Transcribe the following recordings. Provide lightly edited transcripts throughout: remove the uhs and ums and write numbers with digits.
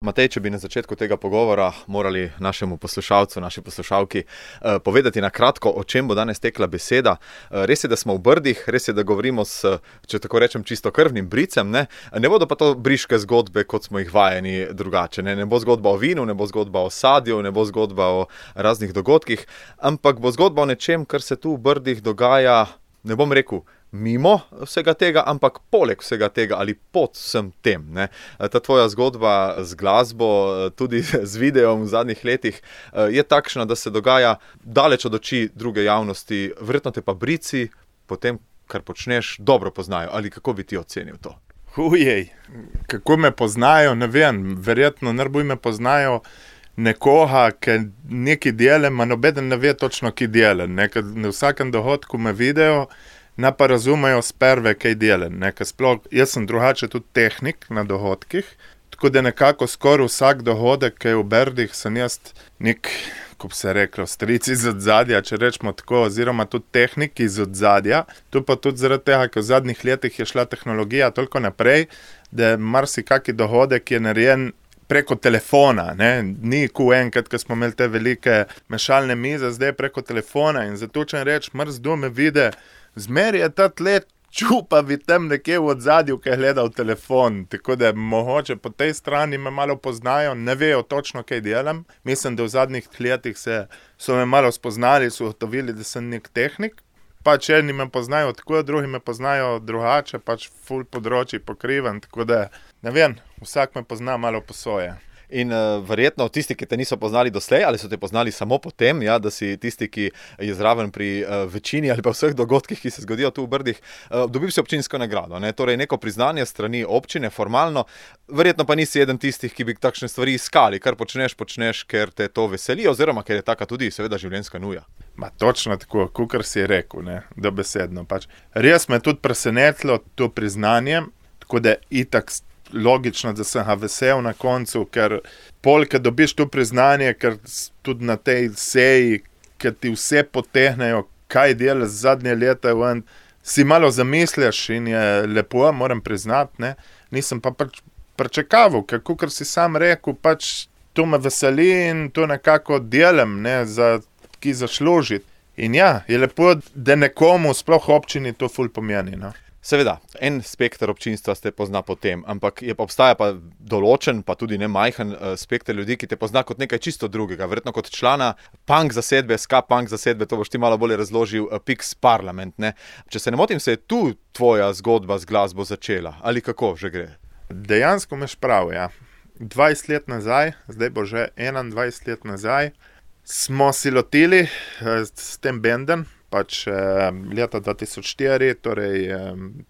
Matej, če bi na začetku tega pogovora morali našemu poslušalcu, naši poslušalki povedati na kratko, o čem bo danes tekla beseda. Res je, da smo v Brdih, res je, da govorimo s, če tako rečem, čistokrvnim bricem, ne bodo pa to briške zgodbe, kot smo jih vajeni drugače. Ne bo zgodba o vinu, ne bo zgodba o sadju, ne bo zgodba o raznih dogodkih, ampak bo zgodba o nečem, kar se tu v Brdih dogaja, ne bom rekel, mimo vsega tega, ampak poleg vsega tega ali pod vsem tem. Ta tvoja zgodba z glasbo, tudi z videom v zadnjih letih, je takšna, da se dogaja daleč od oči druge javnosti. Verjetno te pa Brici po tem, kar počneš, dobro poznajo. Ali kako bi ti ocenil to? Kako me poznajo, ne vem. Verjetno najbolj me poznajo nekoga, ki nekaj dela, ma nobeden ne ve točno, ki dela. Na vsakem dohodku me vidijo, ne pa razumejo sprve, kaj delam. Jaz sem drugače tudi tehnik na dohodkih, tako da nekako skoraj vsak dohodek, ki je v Brdih, sem jaz nek, ko bi se reklo, stric iz odzadja, če rečemo tako, oziroma tudi tehnik iz odzadja. Tu pa tudi zaradi tega, ker v zadnjih letih je šla tehnologija toliko naprej, da marsikaki dohodek je narejen preko telefona, ni enkrat, ko smo imeli te velike mešalne mize, zdaj preko telefona in zato, če reč, mrzdo me vide, zmeri je ta tle čupavi tam nekje v odzadju, ki je gledal telefon, tako da mogoče po tej strani me malo poznajo, ne vejo točno, kaj delam. Mislim, da v zadnjih letih so me malo spoznali, so ugotovili, da sem nek tehnik, pač eni me poznajo tako, drugi me poznajo drugače, pač ful področji pokrivam, tako da, ne vem, vsak me pozna malo po svoje. In verjetno tisti, ki te niso poznali doslej, ali so te poznali samo potem, da si tisti, ki je zraven pri večini ali pa vseh dogodkih, ki se zgodijo tu v Brdih, dobil si občinsko nagrado. Torej neko priznanje strani občine, formalno, verjetno pa nisi eden tistih, ki bi takšne stvari iskali, kar počneš, ker te to veseli, oziroma ker je taka tudi seveda življenjska nuja. Točno tako, kakor si rekel, dobesedno. Res me je tudi presenetilo to priznanje, tako da itak logično, da sem ga vesel na koncu, ker polk dobiš to priznanje, ker tudi na tej seji, ker ti vse potehnejo, kaj delaš zadnje leta, si malo zamisliš in je lepo, moram priznati, nisem pa pričakoval, ker si sam rekel, to me veseli in to nekako delam, ki zaslužiti. In je lepo, da nekomu, sploh občini, to ful pomeni, Seveda, en spekter občinstva te pozna po tem, ampak obstaja pa določen, pa tudi ne majhen spekter ljudi, ki te pozna kot nekaj čisto drugega, verjetno kot člana punk zasedbe, ska punk zasedbe, to boš ti malo bolje razložil, Pix Parlament, Če se ne motim, se je tu tvoja zgodba z glasbo začela, ali kako že gre? Dejansko imaš prav, 20 let nazaj, zdaj bo že 21 let nazaj, smo si lotili s tem bendem, leta 2004, torej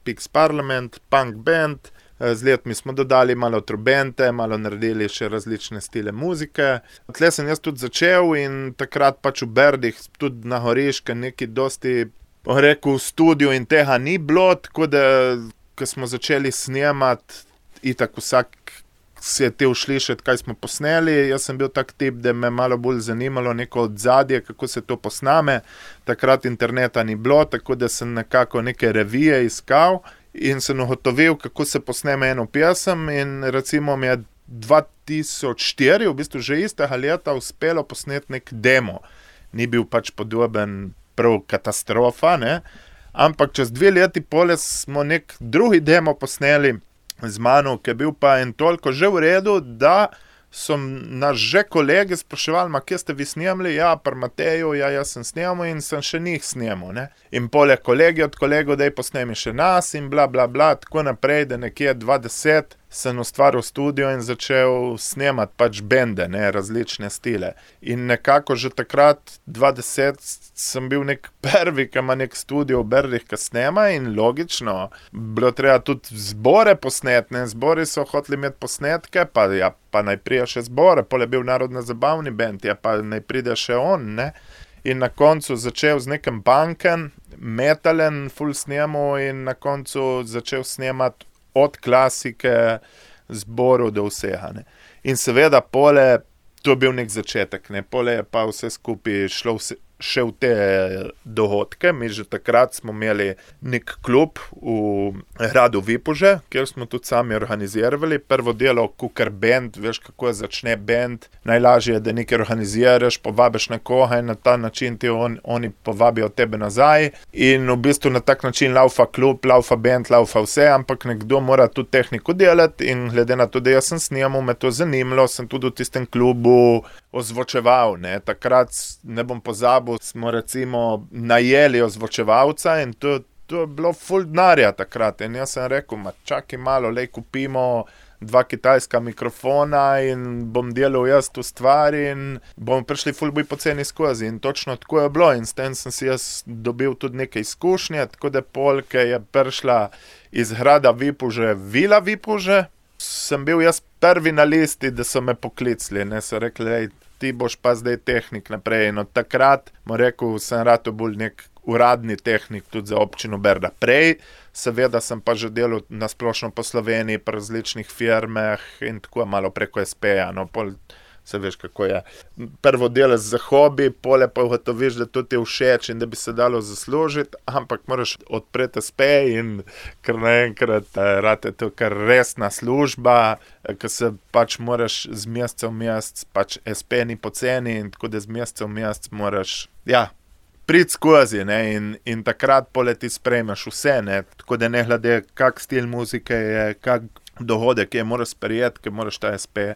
Pix Parlament, punk band, z letmi smo dodali malo trobente, malo naredili še različne stile muzike. Tle sem jaz tudi začel in takrat v Brdih, tudi na Goriškem, nekaj dosti, rekel, v studiu in tega ni bilo, tako da, ko smo začeli snemati, itak vsak si je tel slišati, kaj smo posneli. Jaz sem bil tak tip, da me malo bolj zanimalo neko odzadje, kako se to posname. Takrat interneta ni bilo, tako da sem nekako neke revije iskal in sem ugotovil, kako se posneme eno pesem in recimo mi je 2004, v bistvu že istega leta, uspelo posneti nek demo. Ni bil podoben prav katastrofa, ampak čez 2 leti pole smo nek drugi demo posneli z mano, ki je bil pa en toliko že v redu, da so nas že kolegi spraševali, kje ste vi snemali? Pri Mateju, jaz sem snemal in sem še njih snemal. In poleg kolegi od kolegov, da je posnemi še nas in bla, bla, bla, tako naprej, da nekje 2010 sem ustvaril studio in začel snemati bende, različne stile. In nekako že takrat, 2010, sem bil nek prvi, ki ima nek studio v Brdih, ki snema in logično, bilo treba tudi zbore posneti, zbori so hoteli imeti posnetke, pa naj prija še zbore, pol je bil narodno zabavni bend, pa naj pride še on, In na koncu začel z nekim punkem, metalen, full snemu in na koncu začel snemati od klasike, zborov do vsega. In seveda pole, to je bil nek začetek, pole je pa vse skupaj šlo še v te dohodke. Mi že takrat smo imeli nek klub v gradu Vipuže, kjer smo tudi sami organizirali. Prvo delo kukar band, veš kako začne band. Najlažje je, da nekaj organiziraš, povabiš nekoga in na ta način ti oni povabijo tebe nazaj. In v bistvu na tak način laufa klub, laufa band, laufa vse, ampak nekdo mora tudi tehniko delati in glede na to, da jaz sem snimal, me to zanimalo, sem tudi v tistem klubu ozvočeval, ne. Takrat, ne bom pozabil, smo recimo najeli ozvočevalca in to je bilo ful denarja takrat. In jaz sem rekel, čakaj malo, lej kupimo 2 kitajska mikrofona in bom delal jaz tu stvar in bomo prišli ful bolj poceni skozi. In točno tako je bilo in s tem sem si jaz dobil tudi nekaj izkušnje, tako da polke je prišla iz grada Vipuže, Vila Vipuže, sem bil jaz prvi na listi, da so me poklicali, ne, so rekli, ti boš pa zdaj tehnik naprej. In od takrat, rekel, sem rad bolj nek uradni tehnik tudi za občino Berda. Prej, seveda sem pa že delal na splošno po Sloveniji, pri različnih firmah in tako malo preko SP-ja, no, pol se veš, kako je. Prvo delaš za hobi, pole pa ugotoviš, da to ti je všeč in da bi se dalo zaslužiti, ampak moraš odpreti SP in kar naenkrat rate to kar resna služba, ko se pač moraš z meseca v mesec, pač SP ni poceni in tako da z meseca v mesec moraš, priti skozi, ne, in takrat pole ti sprejmeš vse, ne, tako da ne glede, kak stil muzike je, kak dohodek je, moraš sprejeti, ker moraš ta SP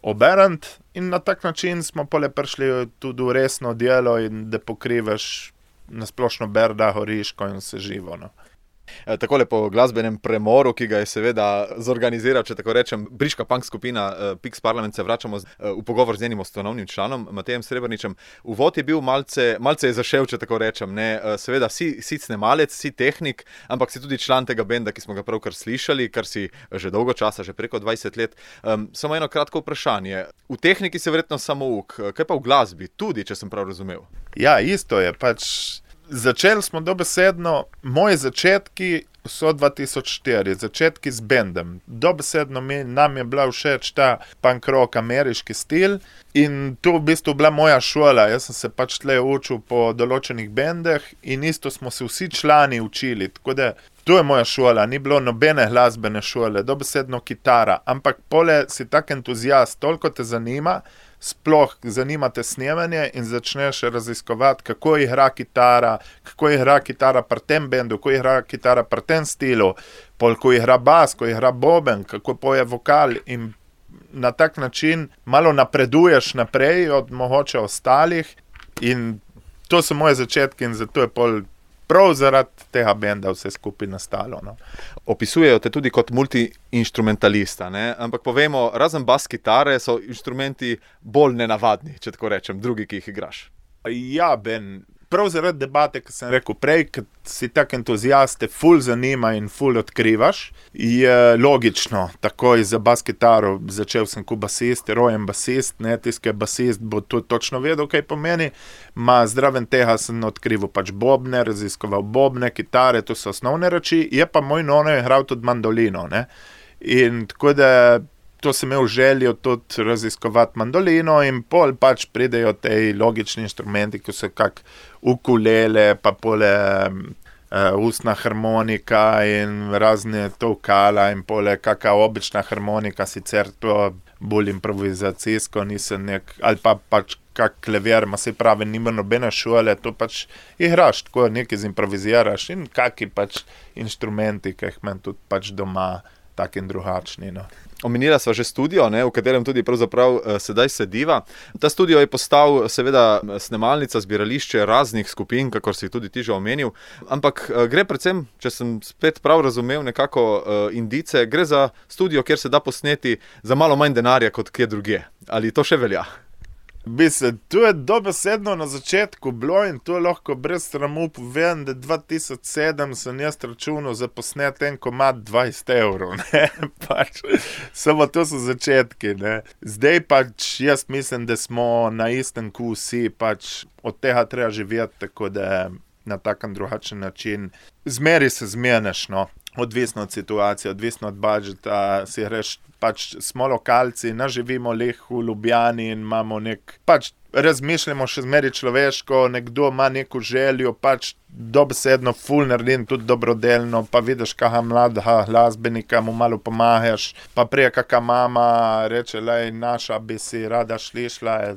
oberant in na tak način smo pole prišli tudi v resno delo in da pokrivaš na splošno Berda, Horiško in vse živo, no. Takole po glasbenem premoru, ki ga je seveda zorganiziral, če tako rečem, briška punk skupina Pix Parlament, se vračamo v pogovor z njenim ustanovnim članom, Matejem Srebrničem. Uvod je bil malce je zašel, če tako rečem, ne. Seveda si snemalec, si tehnik, ampak si tudi član tega benda, ki smo ga pravkar slišali, kar si že dolgo časa, že preko 20 let. Samo eno kratko vprašanje. V tehniki si verjetno samouk, kaj pa v glasbi, tudi, če sem prav razumel? Ja, isto je, pač začeli smo dobesedno, moji začetki so 2004, začetki z bendom. Dobesedno nam je bila všeč ta punk rock ameriški stil in to v bistvu bila moja šola. Jaz sem se pač tle učil po določenih bendeh in isto smo se vsi člani učili, tako da to je moja šola, ni bilo nobene glasbene šole, dobesedno kitara, ampak pole si tak entuzijast, toliko te zanima, sploh zanima te snemanje in začneš raziskovati, kako igra kitara pri tem bendu, kako igra kitara pri tem stilu, pol ko igra bas, ko igra boben, kako poje vokal in na tak način malo napreduješ naprej od mogoče ostalih in to so moje začetki in zato je pol prav zaradi tega benda vse skupaj nastalo, no. Opisujejo te tudi kot multi-inštrumentalista, ne? Ampak povemo, razen bas kitare so inštrumenti bolj nenavadni, če tako rečem, drugi, ki jih igraš. Ja, Ben, prav zaradi debate, ki sem rekel prej, ker si tak entuzijast, te ful zanima in ful odkrivaš, je logično, takoj za bas kitaro začel sem kot basist, rojen basist, ne, tisti, ki je basist, bo to točno vedel, kaj pomeni, zraven tega sem odkrival pač bobne, raziskoval bobne, kitare, to so osnovne reči, je pa moj nono igral tudi mandolino, ne, in tako da to sem imel željo tudi raziskovati mandolino in pol pač pridejo tej logični inštrumenti, ki so kak ukulele, pa pole ustna harmonika in razne tolkala in pole kaka obična harmonika, sicer to bolj improvizacijsko, nisem ali pa pač kak klavier, se pravi, nima nobene šole, to pač igraš, tako nekaj zimproviziraš in kaki pač inštrumenti, ki jih imam tudi pač doma, tak in drugačni, no. Omenila sva že studio, ne, v katerem tudi pravzaprav sedaj sediva. Ta studio je postal seveda snemalnica, zbirališče raznih skupin, kakor si tudi ti že omenil, ampak gre predvsem, če sem spet prav razumel nekako indice, gre za studio, kjer se da posneti za malo manj denarja kot kje drugje. Ali to še velja? To je dobesedno na začetku bilo in to lahko brez sramu povem, da 2007 sem jaz računal za posnet en komad 20 €, ne, pač, samo to so začetki, ne. Zdaj pač jaz mislim, da smo na istem kot vsi, pač od tega treba živeti, tako da na takem drugačen način. Zmeri se zmeneš, no, odvisno od situacije, odvisno od budžeta, si greš, pač smo lokalci, živimo leh v Ljubljani in imamo pač razmišljamo še zmeri človeško, nekdo ima neko željo, pač dobesedno ful naredim tudi dobrodelno, pa vidiš kakega mladega glasbenika, mu malo pomahaš, pa prije kakega mama reče, lej, naša bi si rada šlišla,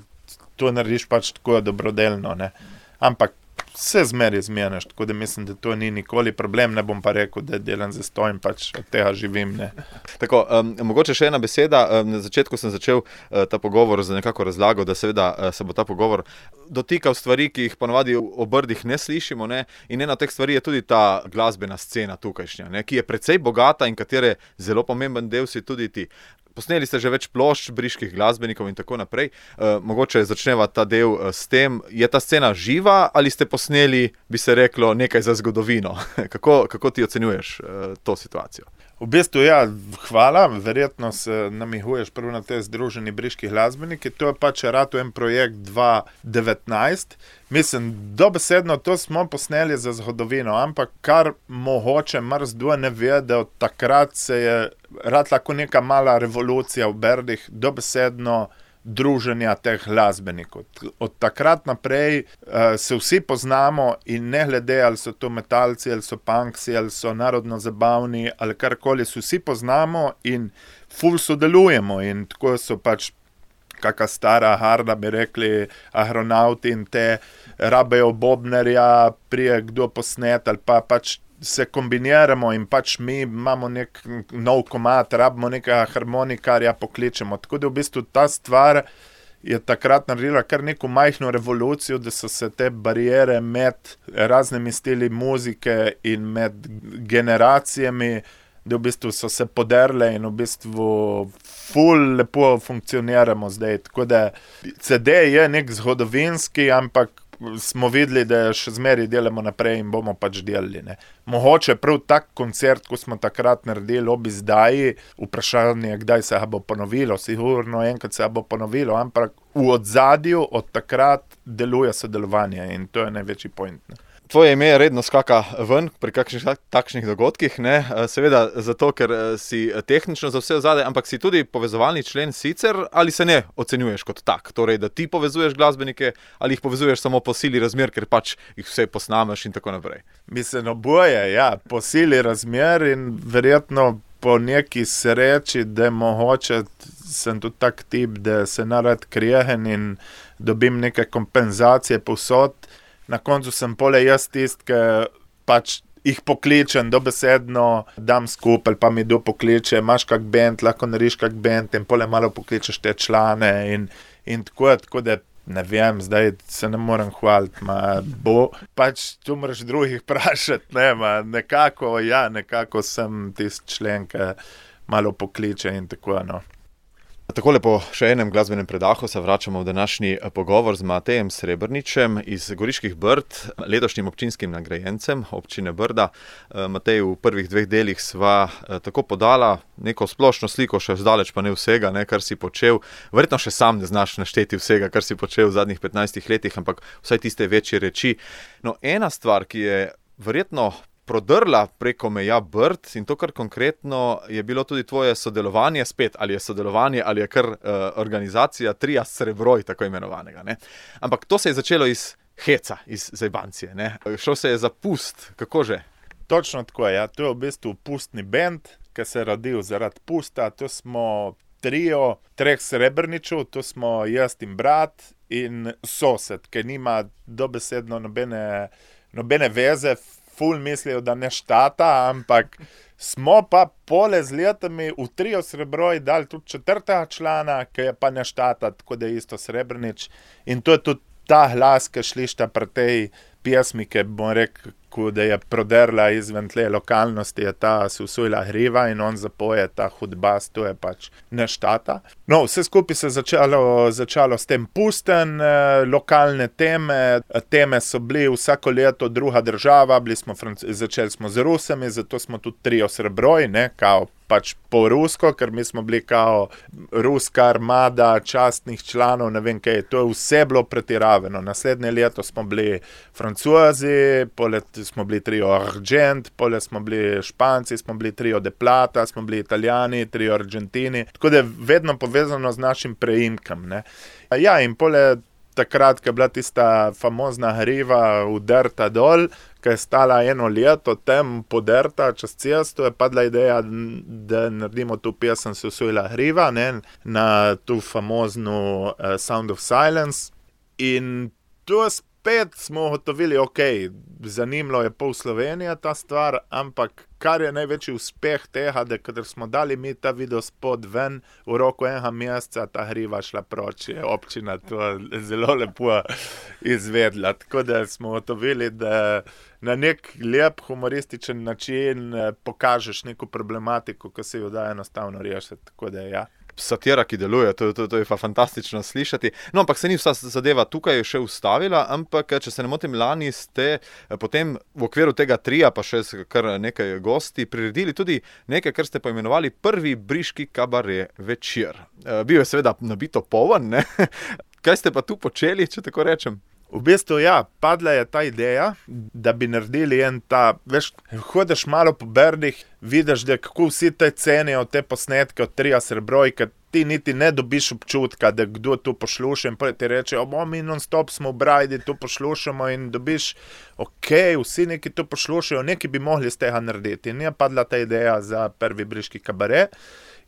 to narediš pač tako dobrodelno, ne. Ampak vse zmeri zmeniš, tako da mislim, da to ni nikoli problem, ne bom pa rekel, da delam zastojim, pač od tega živim, ne. Tako, mogoče še ena beseda. Na začetku sem začel ta pogovor z nekako razlago, da seveda se bo ta pogovor dotikal stvari, ki jih ponovadi o Brdih ne slišimo, ne? In ena od teh stvari je tudi ta glasbena scena tukajšnja, ne? Ki je precej bogata in katere zelo pomemben del si tudi ti. Posneli ste že več plošč briških glasbenikov in tako naprej. Mogoče začneva ta del s tem, je ta scena živa ali ste posneli, bi se reklo, nekaj za zgodovino? Kako ti ocenjuješ to situacijo? V bistvu, ja, hvala, verjetno se namihuješ prvo na te združeni briški glasbeniki, to je pač rato en projekt 2019, mislim, dobesedno to smo posneli za zgodovino, ampak kar mogoče marsikdo ne ve, da od takrat se je rad lahko neka mala revolucija v Brdih, dobesedno druženja teh glasbenikov. Od takrat naprej se vsi poznamo in ne glede, ali so to metalci, ali so punksi, ali so narodno zabavni, ali karkoli, se vsi poznamo in ful sodelujemo in tako so pač kaka stara harda, bi rekli, agronauti in te rabejo bobnerja, prije kdo posnet ali pa pač se kombiniramo in pač mi imamo nek nov komad, rabimo nekega harmonikarja, pokličemo. Tako da v bistvu ta stvar je takrat naredila kar neko majhno revolucijo, da so se te barijere med raznimi stili muzike in med generacijami, da v bistvu so se poderle in v bistvu ful lepo funkcioniramo zdaj. Tako da CD je nek zgodovinski, ampak smo videli, da še zmeri delamo naprej in bomo pač delali, ne. Mogoče prav tak koncert, ko smo takrat naredili ob izdaji, vprašanje, kdaj se ga bo ponovilo, sigurno enkrat se ga bo ponovilo, ampak v odzadju od takrat deluje sodelovanje in to je največji point, ne. Tvoje ime redno skaka ven pri kakšnih takšnih dogodkih, ne? Seveda zato, ker si tehnično za vse vzade, ampak si tudi povezovalni člen sicer, ali se ne ocenjuješ kot tak? Torej, da ti povezuješ glasbenike ali jih povezuješ samo po sili razmer, ker pač jih vse posnameš in tako naprej? Mislim, oboje, ja, po sili razmer in verjetno po neki sreči, da mogoče sem tudi tak tip, da se narad krijem in dobim neke kompenzacije povsod. Na koncu sem pole jaz tist, ki pač jih pokličem, dobesedno dam skupaj, pa mi kdo pokliče, imaš kak band, lahko narediš kak band in pole malo pokličeš te člane in tako da ne vem, zdaj se ne morem hvaliti, bo, pač tu moraš drugih vprašati, ne, nekako sem tist člen, ki malo pokliče in tako, no. Takole po še enem glasbenem predahu se vračamo v današnji pogovor z Matejem Srebrničem iz Goriških Brd, letošnjim občinskim nagrajencem občine Brda. Matej, v prvih dveh delih sva tako podala neko splošno sliko, še zdaleč pa ne vsega, ne, kar si počel. Verjetno še sam ne znaš našteti vsega, kar si počel v zadnjih 15 letih, ampak vsaj tiste večje reči. No, ena stvar, ki je verjetno prodrla preko meja Brd in to, kar konkretno je bilo tudi tvoje sodelovanje, spet ali je sodelovanje ali je kar organizacija Tria Srebroj, tako imenovanega, ne. Ampak to se je začelo iz heca, iz zajbancije, ne. Šel se je za pust, kako že? Točno tako, ja, to je v bistvu pustni bend, ki se je rodil zaradi pusta, to smo trio 3 Srebrničev, to smo jaz in brat in sosed, ki nima dobesedno nobene veze, ful mislijo, da ne štata, ampak smo pa pole z letami v Trio Srebroj dali tudi 4. člana, ki je pa ne štata, tako da je isto Srebrnič. In to je tudi ta glas, ki šlišta pri tej pesmi, ki bom rekel, da je proderla izven tle lokalnosti, je ta se usojila hriva in on zapoje ta hudbas, to je pač ne štata. No, vse skupaj se začalo s tem pusten, lokalne teme so bili vsako leto druga država, začeli smo z Rusami, zato smo tudi Trio Srebroj, ne, kao pač po rusko, ker mi smo bili kao ruska armada častnih članov, ne vem kaj, to je vse bilo pretiravano. Naslednje leto smo bili Francozi, polet smo bili Trio Argent, polet smo bili Španci, smo bili Trio de Plata, smo bili Italijani, Trio Argentini, tako da je vedno povezano z našim preimkom, ne. Ja, in polet takrat, ko je bila tista famozna hriva udrta dol, ki je stala 1 leto tem podrta čez cesto, je padla ideja, da naredimo tu pesem Se usojila hriva, ne, na tu famozno Sound of Silence. In to spet smo ugotovili, ok, zanimalo je pol Slovenije ta stvar, ampak kar je največji uspeh tega, da kadar smo dali mi ta video spot ven, v roku 1 meseca ta hriva šla proč, je občina to zelo lepo izvedla. Tako da smo ugotovili, da na nek lep humorističen način pokažeš neko problematiko, ki se jo da enostavno rešiti. Tako da ja. Satira, ki deluje, to je pa fantastično slišati. No, ampak se ni vsa zadeva tukaj še ustavila, ampak, če se ne motim, lani ste potem v okviru tega tria, pa še kar nekaj gosti, priredili tudi nekaj, kar ste poimenovali Prvi briški kabaret večer. Bil je seveda nabito poln, ne? Kaj ste pa tu počeli, če tako rečem? V bistvu, ja, padla je ta ideja, da bi naredili veš, hodiš malo po Brdih, vidiš, da kako vsi te cenijo te posnetke od Tria Srebroj, ker ti niti ne dobiš občutka, da kdo to posluša in ti reče, mi non-stop smo v Brajdi, to poslušamo in dobiš, ok, vsi neki to poslušajo, neki bi mogli z tega narediti. In je padla ta ideja za Prvi briški kabaret.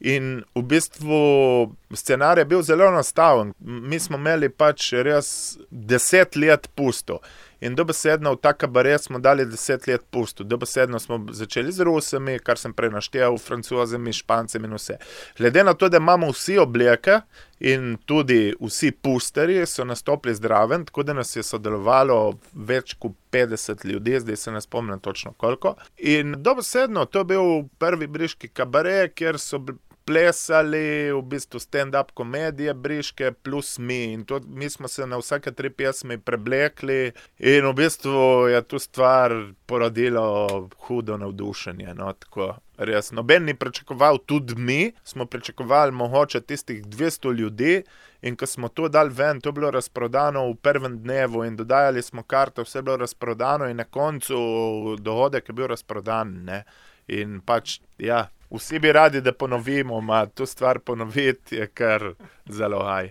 In v bistvu scenarij je bil zelo enostaven. Mi smo imeli pač res 10 let pusto. In dobesedno v ta kabaret smo dali 10 let pusto. Dobesedno smo začeli z Rusami, kar sem prej naštel, Francozami, Špancem in vse. Glede na to, da imamo vsi obleke in tudi vsi pusterji so nastopili zdraven, tako da nas je sodelovalo več kot 50 ljudi, zdaj se ne spomnim točno koliko. In dobesedno to je bil Prvi briški kabaret, kjer so plesali v bistvu stand-up komedije briške plus mi. In to, mi smo se na vsake 3 pesmi preblekli in v bistvu je tu stvar porodilo hudo navdušenje. No, tako res. Noben ni pričakoval, tudi mi smo pričakovali mogoče tistih 200 ljudi in ko smo to dali ven, to je bilo razprodano v prvem dnevu in dodajali smo karte, vse je bilo razprodano in na koncu dohodek je bil razprodan, ne. In pač, ja, vsi bi radi, da ponovimo, to stvar ponoviti je kar zelo haj.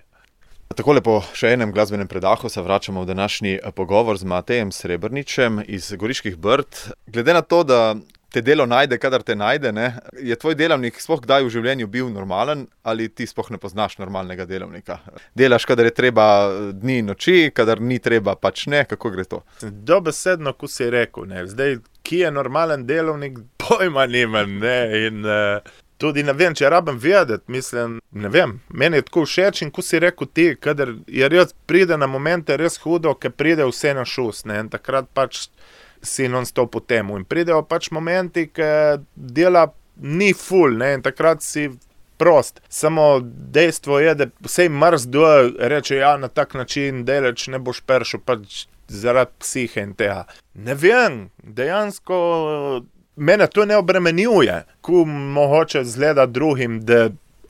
Takole po še enem glasbenem predahu se vračamo v današnji pogovor z Matejem Srebrničem iz Goriških Brd. Glede na to, da te delo najde, kadar te najde, ne, je tvoj delavnik sploh kdaj v življenju bil normalen ali ti sploh ne poznaš normalnega delavnika? Delaš, kadar je treba dni in noči, kadar ni treba, pač ne, kako gre to? Dobesedno, ko si rekel, ne, zdaj, ki je normalen delavnik, pojma nimam, ne, in tudi ne vem, če rabim vedeti, mislim, ne vem, meni je tako všeč in ko si rekel ti, kadar je res pride na momente res hudo, ker pride vse na šus, ne, in takrat pač si non-stop v temu. In pridejo pač momenti, ki dela ni ful, ne, in takrat si prost. Samo dejstvo je, da vsej mrzdo reče, ja, na tak način delač ne boš peršel, pač zaradi psihe in tega. Ne vem, dejansko mene to ne obremenjuje, ko mogoče zgleda drugim, da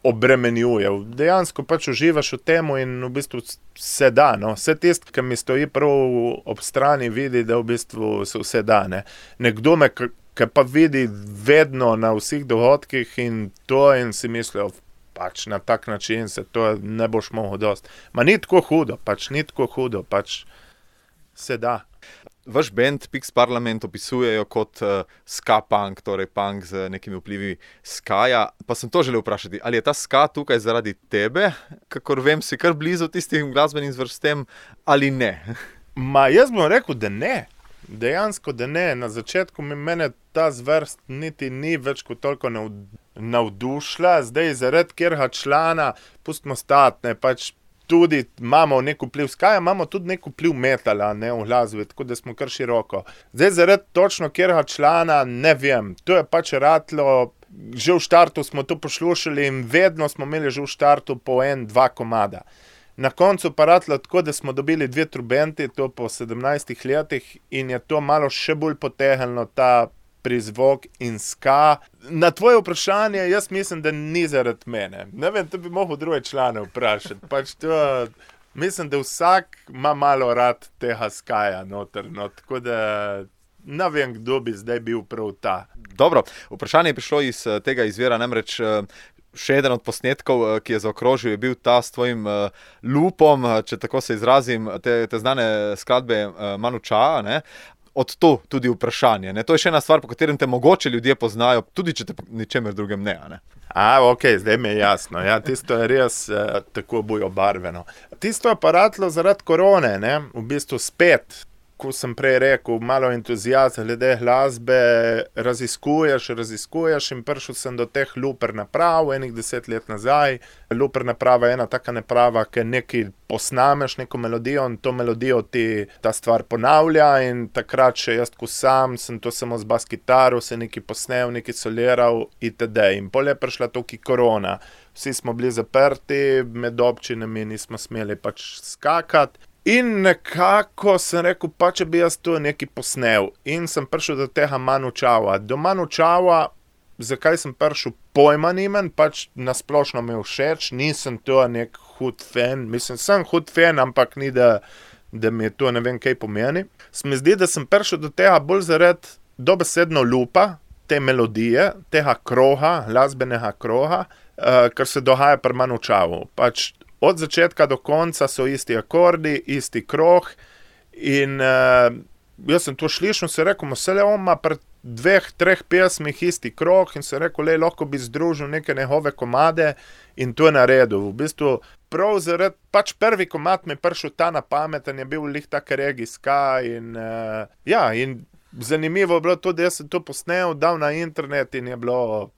obremenjuje. Dejansko pač uživaš v temu in v bistvu se da, no. Vse tisti, ki mi stoji prav ob strani, vidi, da v bistvu se vse da, ne. Nekdo me, ki pa vidi vedno na vseh dogodkih in to in si mislijo, pač na tak način se to ne boš mogel dosti. Ma ni tako hudo, pač se da. Vaš band Pix Parlament opisujejo kot ska punk, torej punk z nekimi vplivi skaja. Pa sem to želel vprašati, ali je ta ska tukaj zaradi tebe, kakor vem, si kar blizu tistim glasbenim zvrstem, ali ne? Ma jaz bom rekel, da ne. Dejansko, da ne. Na začetku mene ta zvrst niti ni več kot toliko navdušila. Zdaj zaradi kjerega člana, pustimo stati, ne, pač tudi imamo nek vpliv skaja, imamo tudi nek vpliv metala, ne, v glasbi, tako da smo kar široko. Zdaj zaradi točno kjerega člana, ne vem, to je pač ratlo, že v štartu smo to poslušali in vedno smo imeli že v štartu po 1-2 komada. Na koncu pa ratlo tako, da smo dobili 2 trubenti, to po 17 letih in je to malo še bolj potegnilo ta prizvok in ska. Na tvoje vprašanje, jaz mislim, da ni zaradi mene. Ne vem, to bi mogel druge člane vprašati. Pač to, mislim, da vsak ima malo rad tega skaja noter, no, tako da ne vem, kdo bi zdaj bil prav ta. Dobro, vprašanje je prišlo iz tega izvira, namreč še eden od posnetkov, ki je zaokrožil, je bil ta s tvojim lupom, če tako se izrazim, te znane skladbe Manu Chao, ne? Od to tudi vprašanje. Ne? To je še ena stvar, po katerem te mogoče ljudje poznajo, tudi če te po ničemer drugem ne. Ok, zdaj mi je jasno. Ja, tisto je res tako bojo barveno. Tisto je pa ratlo zaradi korone, ne? V bistvu spet, ko sem prej rekel, malo entuzijazma glede glasbe, raziskuješ in prišel sem do teh looper naprav, enih 10 let nazaj. Looper naprava je ena taka naprava, ki nekaj posnameš, neko melodijo in to melodijo ti ta stvar ponavlja in takrat še jaz, ko sam, sem to samo z bas kitaro, se nekaj posnel, nekaj soliral itd. In pol je prišla tukaj korona. Vsi smo bili zaprti, med občinami nismo smeli pač skakati. In nekako sem rekel, pa če bi jaz to nekaj posnel. In sem prišel do tega Manu Chao. Do Manu Chao, zakaj sem prišel, pojma nimam, pač nasplošno mi je všeč, nisem to nek hud fan. Mislim, sem hud fan, ampak ni, da mi je to ne vem kaj pomeni. Se mi zdi, da sem prišel do tega bolj zaradi dobesedno lupa, te melodije, tega kroha, glasbenega kroha, kar se dogaja pri Manu Chao. Pač od začetka do konca so isti akordi, isti kroh in jaz sem to slišal in se rekel, vse on ima pri 2-3 pesmih isti kroh in se rekel, lahko bi združil neke njegove komade in to je naredil. V bistvu prav zaradi, pač prvi komad mi je prišel ta na pameten, je bil lih tak regijska in in zanimivo je bilo to, da jaz sem to posnel, dal na internet in je bilo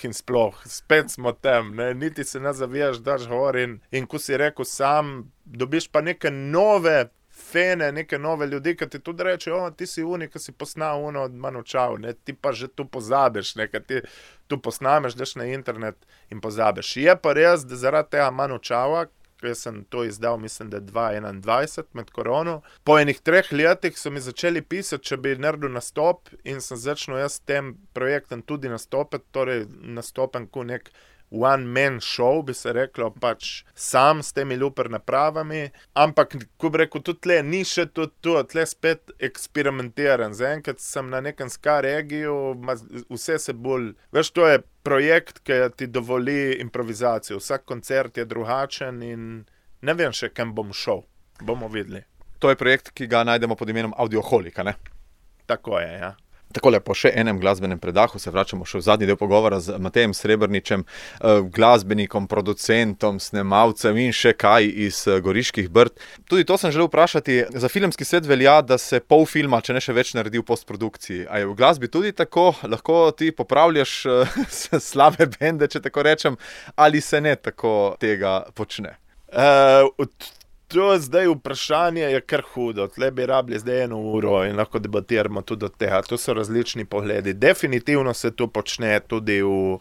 in sploh, spet smo tam, ne? Niti se ne zavijaš, daš gor in ko si rekel sam, dobiš pa neke nove fene, neke nove ljudi, ki ti tudi reče, ti si unik, ki si posnal od Manu Chao, ne? Ti pa že tu pozabiš, ne? Ti tu posnameš, daš na internet in pozabiš. Je pa res, da zaradi tega Manu Chao, jaz sem to izdal, mislim, da 2021 med korono. Po enih 3 letih so mi začeli pisati, če bi naredil nastop in sem začel jaz s tem projektom tudi nastopiti, torej nastopam kot nek one-man show, bi se reklo, pač sam s temi looper napravami, ampak, ko bi rekel, tudi tle ni še tudi to, tle spet eksperimentiran. Zaenkrat sem na nekem ska regiju, vse se bolj, veš, to je projekt, ki ti dovoli improvizacijo. Vsak koncert je drugačen in ne vem še, kam bom šel. Bomo videli. To je projekt, ki ga najdemo pod imenom Audioholika, ne? Tako je, ja. Takole, po še enem glasbenem predahu se vračamo še v zadnji del pogovora z Matejem Srebrničem, glasbenikom, producentom, snemalcem in še kaj iz Goriških Brd. Tudi to sem želel vprašati. Za filmski svet velja, da se pol filma, če ne še več, naredi v postprodukciji. A je v glasbi tudi tako? Lahko ti popravljaš slabe bende, če tako rečem, ali se ne tako tega počne? To zdaj vprašanje je kar hudo. Tle bi rabili zdaj 1 uro in lahko debatiramo tudi od tega. To so različni pogledi. Definitivno se to počne tudi v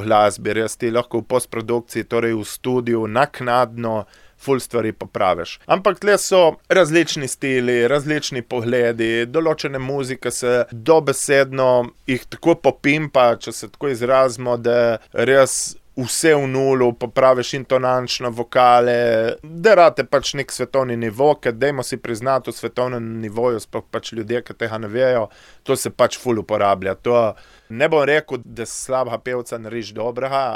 glasbi. Res ti lahko v postprodukciji, torej v studiu, naknadno ful stvari popraviš. Ampak tle so različni stili, različni pogledi, določene muzike se dobesedno jih tako popimpa, če se tako izrazimo, da res vse v nulu, popraviš intonančno vokale, da rate pač nek svetovni nivo, ker dajmo si priznati v svetovnem nivoju, sploh pač ljudje, ki tega ne vejo, to se pač ful uporablja. To ne bom rekel, da slabega pevca narediš dobrega,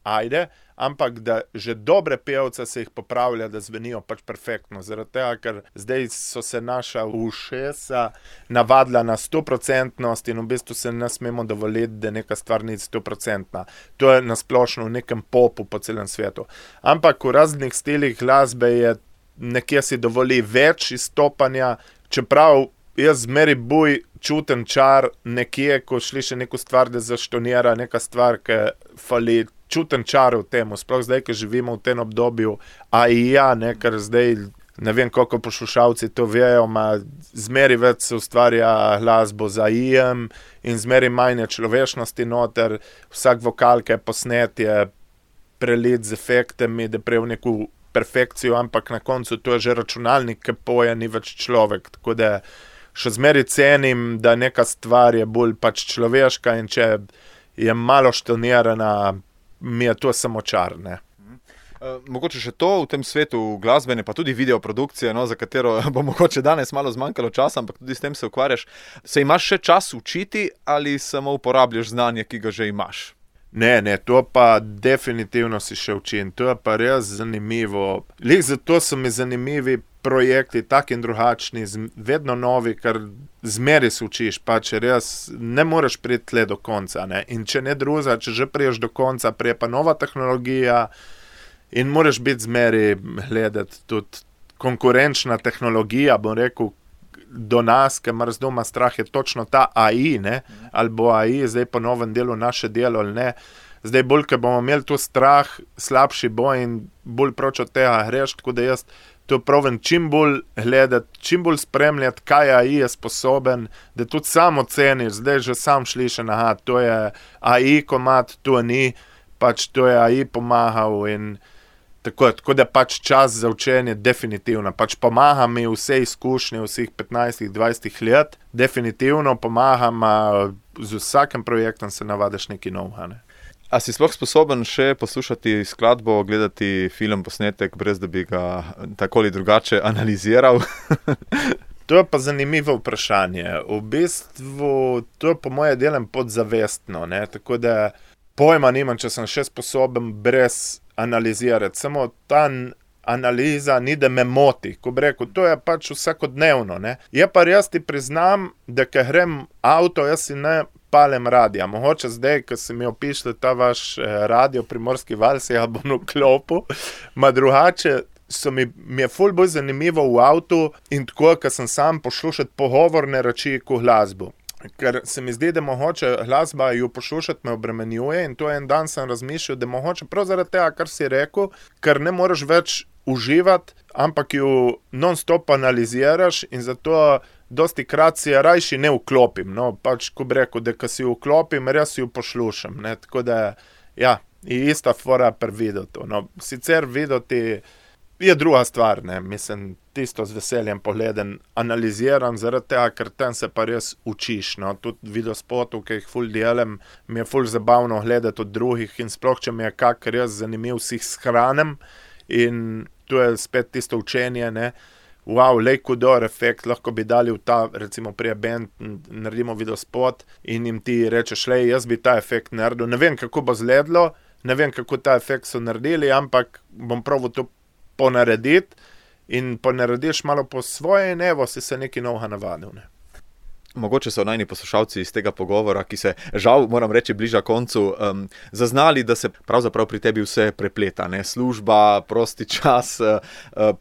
ajde, ampak da že dobre pevce se jih popravlja, da zvenijo pač perfektno. Zaradi tega, ker zdaj so se naša ušesa navadila na 100% in v bistvu se ne smemo dovoliti, da neka stvar ni 100%. To je nasplošno v nekem popu po celem svetu. Ampak v raznih stilih glasbe je nekje si dovoli več izstopanja, čeprav jaz zmeri buj čutem čar nekje, ko sliši neko stvar, da zaštonira neka stvar, ki fali, čutem čar v tem, sploh zdaj, ki živimo v tem obdobju AI, ker zdaj ne vem, koliko poslušalci to vejo, zmeri več se ustvarja glasbo za AI-jem in zmeri manj človešnosti noter, vsak vokal, ki je posnet, je prelit z efektami, da prej v neko perfekcijo, ampak na koncu to je že računalnik, ki poje, ni več človek, tako da še zmeri cenim, da neka stvar je bolj pač človeška in če je malo štonirana, mi je to samo čar, ne. Mogoče še to v tem svetu glasbene, pa tudi videoprodukcije, za katero bo mogoče danes malo zmanjkalo časa, ampak tudi s tem se ukvarjaš. Se imaš še čas učiti ali samo uporabljaš znanje, ki ga že imaš? Ne, to pa definitivno si še učim, to je pa res zanimivo. Lih zato so mi zanimivi projekti, taki in drugačni, vedno novi, ker zmeri se učiš, pa če res ne moreš priti tle do konca, ne. In če ne druga, če že priješ do konca, prije pa nova tehnologija in moraš biti zmeri gledati tudi konkurenčna tehnologija, bom rekel, do nas, ker mar z doma strah je točno ta AI, ne, ali bo AI zdaj po novem delu naše delo ali ne. Zdaj bolj, ker bomo imeli tu strah, slabši bo in bolj proč od tega greš, tako da jaz to pravim čim bolj gledati, čim bolj spremljati, kaj AI je sposoben, da tudi sam oceniš, zdaj že sam slišen, aha, to je AI komad, to ni, pač to je AI pomagal in tako da pač čas za učenje definitivno, pač pomaga mi vse izkušnje vseh 15-20 let, definitivno pomagam, z vsakim projektom se navadiš nekaj novega, ne. A si sploh sposoben še poslušati skladbo, gledati film, posnetek, brez da bi ga tako ali drugače analiziral? To je pa zanimivo vprašanje. V bistvu to po moje delam podzavestno, ne, tako da pojma nimam, če sem še sposoben brez analizirati. Samo ta analiza ni, da me moti, ko bi rekel, to je pač vsakodnevno, ne. Je pa res ti priznam, da ko grem avto, jaz si ne palem radija. Mogoče zdaj, ko se mi opišli ta vaš radio Primorski val, se ja bom vklopil, ma drugače mi je ful bolj zanimivo v avtu in tako, ko sem sam poslušati pogovorne reči ko glasbo. Ker se mi zdi, da mogoče glasba jo poslušati me obremenjuje in to en dan sem razmišljal, da mogoče prav zaradi tega, kar si rekel, ker ne moreš več uživati, ampak jo non-stop analiziraš in zato dosti krat si rajši ne vklopim, no, pač ko bi rekel, da ko si vklopim, res jo poslušam, ne, tako da, ja, je ista fora pri videotu, no, sicer videoti je druga stvar, ne, mislim, tisto z veseljem pogledam, analiziram zaradi tega, ker tam se pa res učiš, no, tudi videospotov, ki jih ful delam, mi je ful zabavno gledati od drugih in sploh, če mi je kak res zanimiv, si jih shranim in to je spet tisto učenje, ne. Wow, lej kudor efekt, lahko bi dali v ta, recimo prije band, naredimo videospot in jim ti rečeš, lej, jaz bi ta efekt naredil, ne vem, kako bo zgledalo, ne vem, kako ta efekt so naredili, ampak bom probal to ponarediti in ponarediš malo po svoje in evo, si se nekaj novega navadil, ne. Mogoče so najni poslušalci iz tega pogovora, ki se žal, moram reči, bliža koncu, zaznali, da se pravzaprav pri tebi vse prepleta, ne, služba, prosti čas,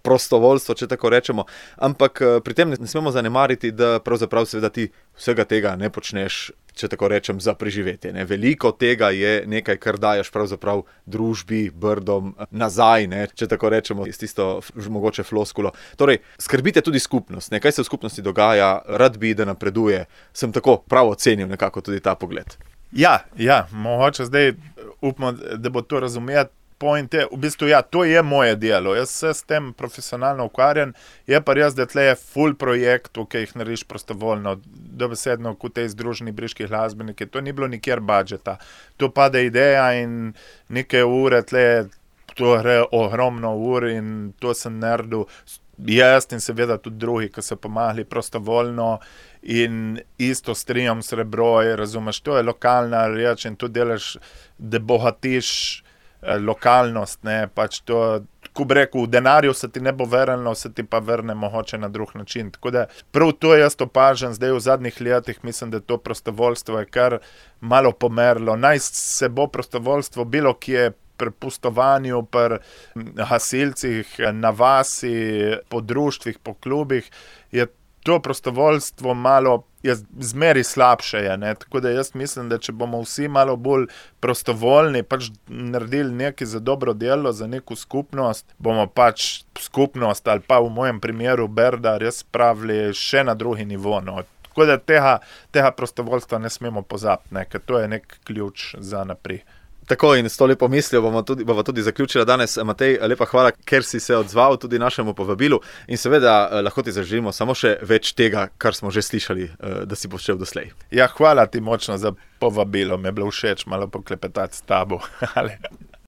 prostovoljstvo, če tako rečemo, ampak pri tem ne smemo zanemariti, da pravzaprav seveda ti vsega tega ne počneš, če tako rečem, za preživetje, ne. Veliko tega je nekaj, kar daješ pravzaprav družbi, brdom nazaj, ne, če tako rečemo, iz tisto mogoče floskulo. Torej, skrbite tudi skupnost, ne, kaj se v skupnosti dogaja, rad bi, da napreduje, sem tako prav ocenil nekako tudi ta pogled. Ja, mogoče zdaj upamo, da bo to razumeti. Point je, v bistvu, ja, to je moje delo, jaz se s tem profesionalno ukvarjam, je pa res, da tle je ful projektov, ki jih narediš prostovoljno, dobesedno kot tej združeni briški glasbeniki, to ni bilo nikjer budžeta, to pade ideja in neke ure, tle to gre ogromno ur in to sem naredil, jaz in seveda tudi drugi, ki so pomagali prostovoljno in isto strijam srebro, razumeš, to je lokalna reč in to delaš, da bogatiš lokalnost, ne, pač to, ko bi rekel, v denarju se ti ne bo vrnilo, se ti pa vrne mogoče na drug način, tako da prav to jaz opažam, zdaj v zadnjih letih mislim, da to prostovoljstvo je kar malo pomerlo, naj se bo prostovoljstvo bilo kje pri pustovanju, pri gasilcih, na vasi, po društvih, po klubih, je to prostovoljstvo malo je zmeri slabše je, ne, tako da jaz mislim, da če bomo vsi malo bolj prostovoljni, pač naredili nekaj za dobro delo, za neko skupnost, bomo pač skupnost ali pa v mojem primeru Berda res spravili še na drugi nivo, no. Tako da tega prostovoljstva ne smemo pozabiti, ne, ker to je nek ključ za naprej. Tako in s to lepo mislijo bova tudi zaključila danes. Matej, lepa hvala, ker si se odzval tudi našemu povabilu in seveda lahko ti zaželimo samo še več tega, kar smo že slišali, da si počel doslej. Ja, hvala ti močno za povabilo, mi je bilo všeč malo poklepetati s tabo.